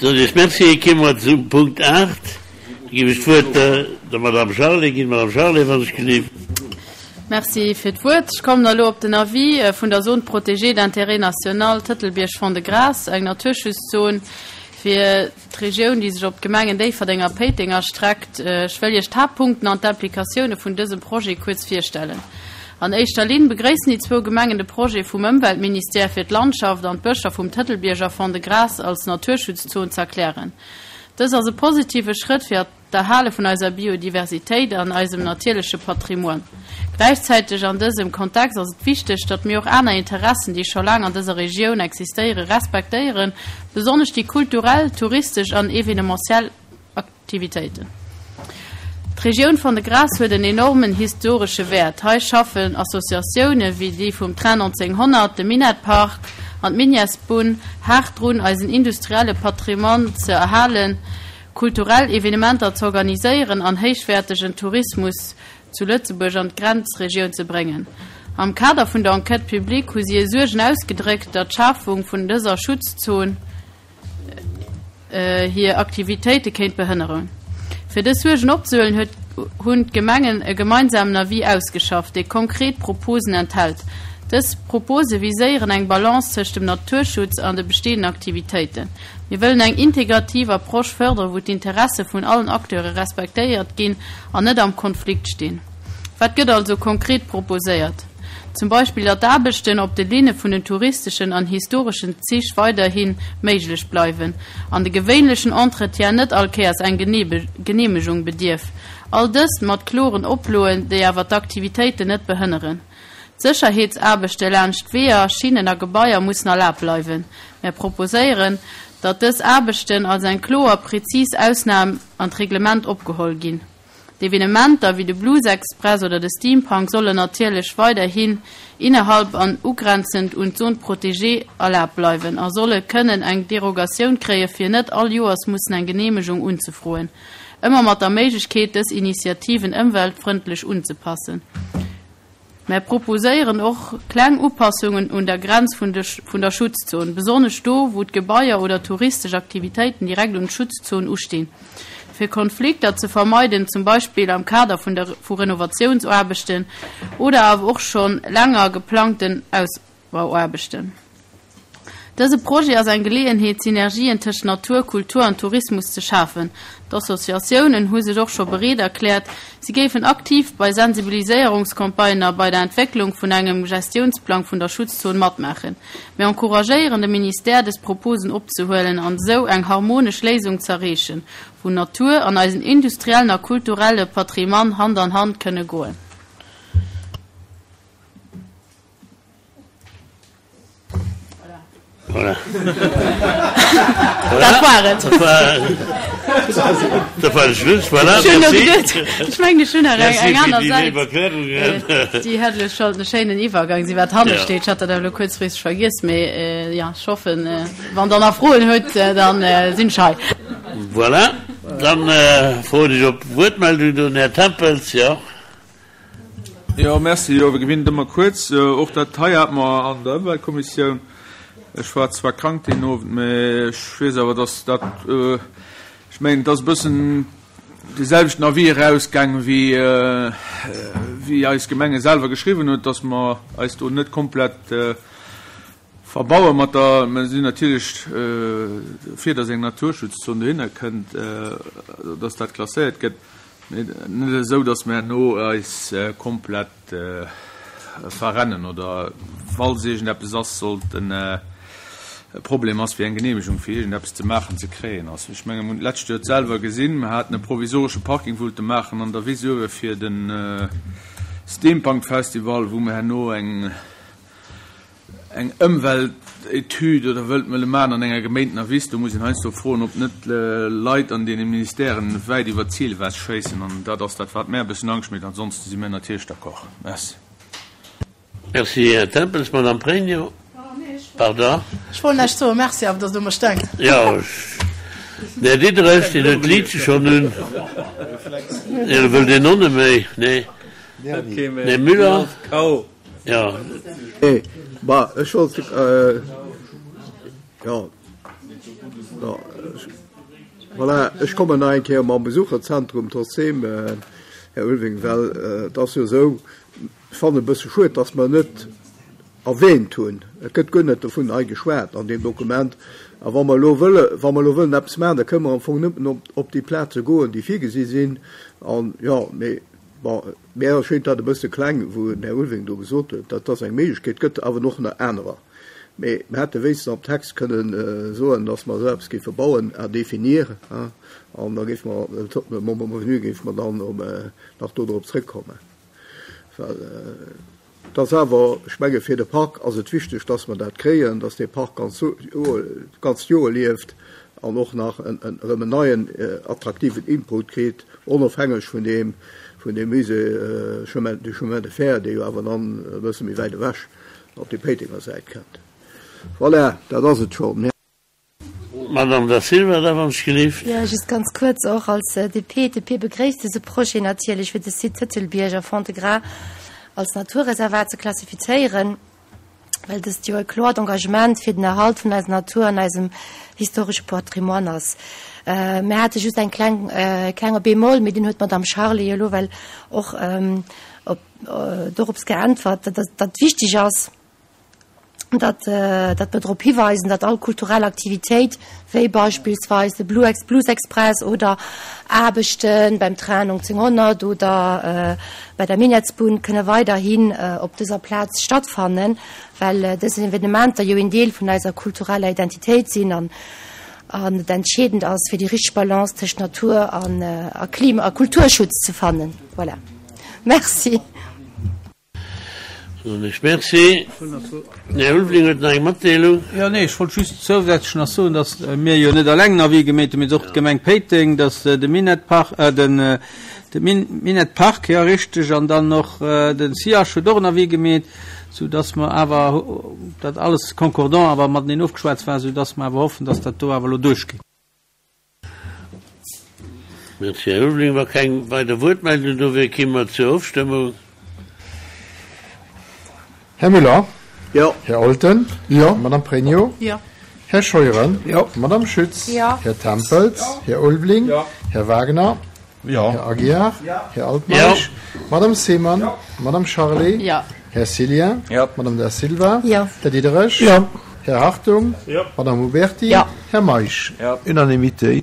Soen ech Merci. Komme mer zum Punkt 8. Da géif ech d'Wuert der Madame Charlé ginn. Madame Charlé, wann ech gelift. Merci fir d'Wuert. Ech kommen elo op den Avis vun der Zone protégée d'intérêt national Tëtelbierg-Fond-de-Gras, eng Naturschutzszoon fir d'Regioun, déi sech op d'Gemengen Déifferdeng a Péiteng erstreckt. Ech wëll Iech d'Haaptpunkten an d'Implikatioune vun dësem Projet kuerz virstellen. An éischter Linn begréissen déi zwou Gemengen de Projet vum Ëmweltministère fir d'Landschaft an d'Bëscher vum Tëtelbierg a Fond-de-Gras als Naturschutzzon z'erklären. Dës ass e positive Schrëtt fir d'Erhale vun eiser Biodiversitéit an eisem natierleche Patrimoine. Gläichzäiteg an dësem Kontext ass et wichteg, datt mir och aner Interessen, déi scho laang an dëser Regioun existéieren, respektéieren, besonnesch déi kulturell, touristesch an evenementiell Aktivitéiten. D'Regioun Fond-de-Gras huet en enormen historesche Wäert. Hei schaffen Associatioune wéi déi vum Train 1900, de Minett-Park an d'Minièresbunn haart drun, eisen industrielle Patrimoine ze erhalen, kulturell Evenementer z'organiséieren an héichwäertegen Tourismus zu Lëtzebuerg an d'Grenzregioun ze bréngen. Am Kader vun der Enquête publique hu si hir Suergen ausgedréckt, datt d'Schafung vun dëser Schutzzon hir Aktivitéite kéint behënneren. Fir dës Suergen opzehuelen, huet hunn d'Gemengen e gemeinsamen Avis ausgeschafft, dee konkret Proposen enthält. Dës Propose viséieren eng Balance tëscht dem Naturschutz an de bestehenden Aktivitéiten. Mir wëllen eng integrativ Approche fërderen, wou d'Interesse vun allen Acteure respektéiert ginn an net am Konflikt stinn. Wat gëtt also konkret proposéiert? Zum Beispill, datt d'Aarbechten op de Linne vun den touristeschen an historeschen Zich weiderhi méiglech bleiwen an de gewéinlechen Entretien net all Kéiers eng Geneemegung bedierf. All dëst mat kloren Oploen, déi awer d'Aktivitéiten net behënneren. D'Sécherheetsaarbechte laanscht Weeër, Schinnen a Gebaier mussen erlaabt bleiwen. Mär proposéieren, datt dës Aarbechten als eng kloer, prezis Ausnam an d'Reglement opgeholl ginn. D'Evenementer wéi de Blues Express oder de Steampunk sollen natierlech weiderhin innerhalb an ugrenzend un d'Zone protégée erlaabt bleiwen a solle kënnen eng Derogatioun kréie fir net all Joers mussen eng Geneemegung unzefroen, ëmmer mat der Méiglechkeet dës Initiativen ëmweltfrëndlech unzepassen. Mär proposéieren och kleng Upassungen un der Grenz vun der Schutzzon, besonnesch do, wou d'Gebaier oder touristesch Aktivitéiten direkt un d'Schutzzon ustinn, fir Konflikter ze vermeiden, zum Beispill am Kader vu Renovatiounsaarbechten oder awer och scho länger geplangten Ausbauaarbechten. Dëse Projet ass eng Geleeënheet, Synergien tëscht Natur, Kultur an Tourismus ze schafen. D'Associatiounen hu sech och scho bereet erkläert, si géifen aktiv bei Sensibiliséierungscampagnen a bei der Entwécklung vun engem Gestiounsplang vun der Schutzzon matmaachen. Mir encouragéieren de Ministère, dës Proposen opzehuelen an esou eng harmonesch Léisung z'erreechen, wou Natur an eisen industriellen a kulturelle Patrimoine Hand an Hand kënne goen. Voilà. Dat war et. Dat war, dat war de Schluss. Voilà, Ech hunn merci. geduet, ech mengen, ech hunn nach eng, Merci eng fir aner déi Säit. léif Erklärungen. Déi hätt elo sollt e schéinen Iwwergang sinn, wat hanne Ja. steet. Ech hat dat awer elo kuerzfristeg vergiess, mee ja, ech hoffen, wann Der nach Froen hutt, dann sinn ech hei. Voilà, dann froen ech op Wuertmeldung den Här Tempels, jo. Jo, merci. Jo, wéi gewinnt ëmmer kuerz. Och dat hei hate mer an der Ëmweltkommissioun. Ech war zwar krank deen Owend, mä ech weess awer, dass dat, ech mengen, et ass e bëssen dee selwechten Avis erausgaangen, wéi, wéi eis Gemenge selwer geschriwwen huet, dass mer eis do net komplett verbaue mat der, mer sinn natierlech dofir, dass eng Naturschutzzon dohinner kënnt, dass dat klasséiert gëtt. Mee net esou, datt mer herno eis komplett verrennen oder falls iergendeppes ass, sollt en e Problem ass, fir eng Genehmegung fir iergendeppes ze maachen, ze kréien ass. Ech menge mer hunn d'lescht Joer et selwer gesinn, mer haten e provisoresche Parking wollte maachen an der Wiss uewe fir de Steampunk Festival, wou mer herno eng Eng Ëmweltetüd oder wëllt mëlle maachen an enger geméintener Wiss, do muss een heiansdo froen, ob net Leit an deene Ministèren wäit iwwer d'Zil ewech schéissen. An dat ass dat, wat mär e bëssen Angscht mécht. Ansonsten si mär natierlech d'accord. Merci. Merci, Här Tempels. Madame Pregno, pardon. Ech wollt näischt soen. Merci awer, dass Der u mech denkt. Jo, den Här Diderich, deen huet d'Liitche schonn un. Elo wëllt een och net méi. Nee. Här Müller. Jo. Nee, bah, ech wollt, jo. Voilà, ech kommen nach eng Kéier mam Besucherzentrum trotzdem, Här Ulveling, well et ass jo esou, ech fannen e bësse schued, dass mer net erwähnt hunn, et gëtt guer net dovun hei geschwat an deem Dokument, a wa mer elo wëlle, wa mer elo wëllen eppes maachen, da kënnen mer am Fong nëmmen op, op déi Plaze goen, déi virgesi sinn. An, jo, mee bon, mir erschéint dat e bësse kleng, wou den Här Ulveling do gesot huet, dat ass eng Méiglechkeet, et gëtt awer och nach anerer. Mee mir hätte wéinstens am Text kënnen soen, dass mer esou eppes géife bauen, à définir, hein, an da géife mer, le moment venu, géife mer dann nach do drop zrëckkommen. Well et ass awer, ech menge fir de Park ass et wichteg, dass mer dat kréien, dass dee Park ganz ganzt Joer lieft an och nach erëm en neien attraktiven Input kritt, onofhängeg vun deem, vun deem Musée Chemin, du Chemin de Fer, dee jo awer dann e bësse méi wäit ewech op déi Péitenger Säit kënnt. Voilà, dat ass et schonn. Madame Da Silva, da wann ech gelift. Jo, just ganz kuerz och als DP. D'DP begréisst dëse Projet natierlech, fir de Site Tëtelbierg a Fond-de-Gras als Naturreservat ze klassifizéieren, well dëst jo e kloert Engagement fir den Erhalt vun eiser Natur an eisem historesche Patrimoine ass. Mir hate just eng kleng, e klenge Bémol, mee deen huet d'Madame Charlé jo elo well och op, dorops geäntwert, datt datt wichteg ass, datt datt mer drop hiweisen, datt all kulturell Aktivitéit, wéi beispillsweis de Blues Express oder Aarbechte beim Train 1900 oder bei der Minettsbunn, kënne weiderhin op dëser Plaz stattfannen, well dës Evenementer jo een Deel vun eiser kultureller Identitéit sinn an an et entscheedend ass, fir déi richteg Balance tëscht Natur an a Klima a Kulturschutz ze fannen. Voilà. Merci. Soen ech Merci. Den Här Ulveling huet nach eng Matdeelung. Jo, nee, ech wollt just zousätzlech nach soen, datt mir jo net eleng en Avis gemeet hunn, mee och d'Gemeng Péiteng, datt de Minett-Park, den, de Minett-Park, jo, richteg, an dann och den SIAS huet och en Avis gemeet, soudatt mer awer, dat alles concordant awer mateneen ofgeschwat war, soudatt mer awer hoffen, datt dat do awer elo duerchgeet. Merci, Här Ulveling. Wa keng weider Wuertmeldung do wier, kéime mer zur Ofstëmmung. Här Müller? Jo. Här Olten? Jo. Madame Pregno? Jo. Här Scheuren? Jo. Madame Schütz? Jo. Här Tempels? Jo. Här Ulveling? Jo. Här Wagner? Jo. Här Aguiar? Jo. Här Altmeisch? Jo. Madame Seemann? Jo. Madame Charlé? Jo. Här Cillien? Jo. Madame Da Silva? Jo. Här Diderich? Jo. Här Hartung? Jo. Madame Huberti? Jo. Här Meisch? Jo. Unanimité.